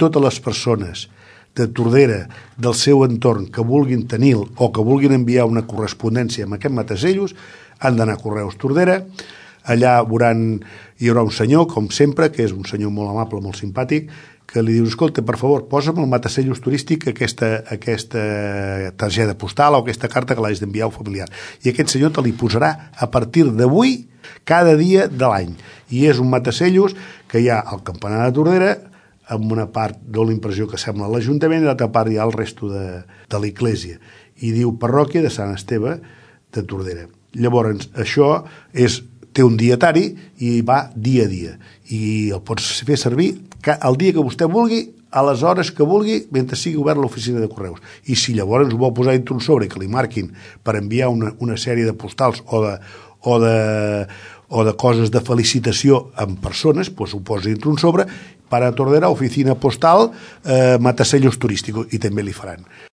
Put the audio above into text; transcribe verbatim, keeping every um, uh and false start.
totes les persones de Tordera, del seu entorn, que vulguin tenir o que vulguin enviar una correspondència amb aquest matasellos, han d'anar a Correus Tordera. Allà veuran, hi haurà un senyor, com sempre, que és un senyor molt amable, molt simpàtic, que li dius, escolta, per favor, posa'm el matasellos turístic aquesta, aquesta targeta postal o aquesta carta que l'has d'enviar al familiar. I aquest senyor te li posarà a partir d'avui cada dia de l'any. I és un matasellos que hi ha al campanar de Tordera, amb una part dona l'impressió que sembla l'Ajuntament i l'altra part hi ha el resto de, de l'església. I diu parròquia de Sant Esteve de Tordera. Llavors, això és, té un dietari i va dia a dia. I el pots fer servir el dia que vostè vulgui, a les hores que vulgui, mentre sigui obert l'oficina de correus. I si llavors ho vol posar dintre un sobre que li marquin per enviar una, una sèrie de postals o de, o de, o de coses de felicitació amb persones, doncs ho posa dintre un sobre, para Tordera, oficina postal, eh, matasellos turístico, i també li faran.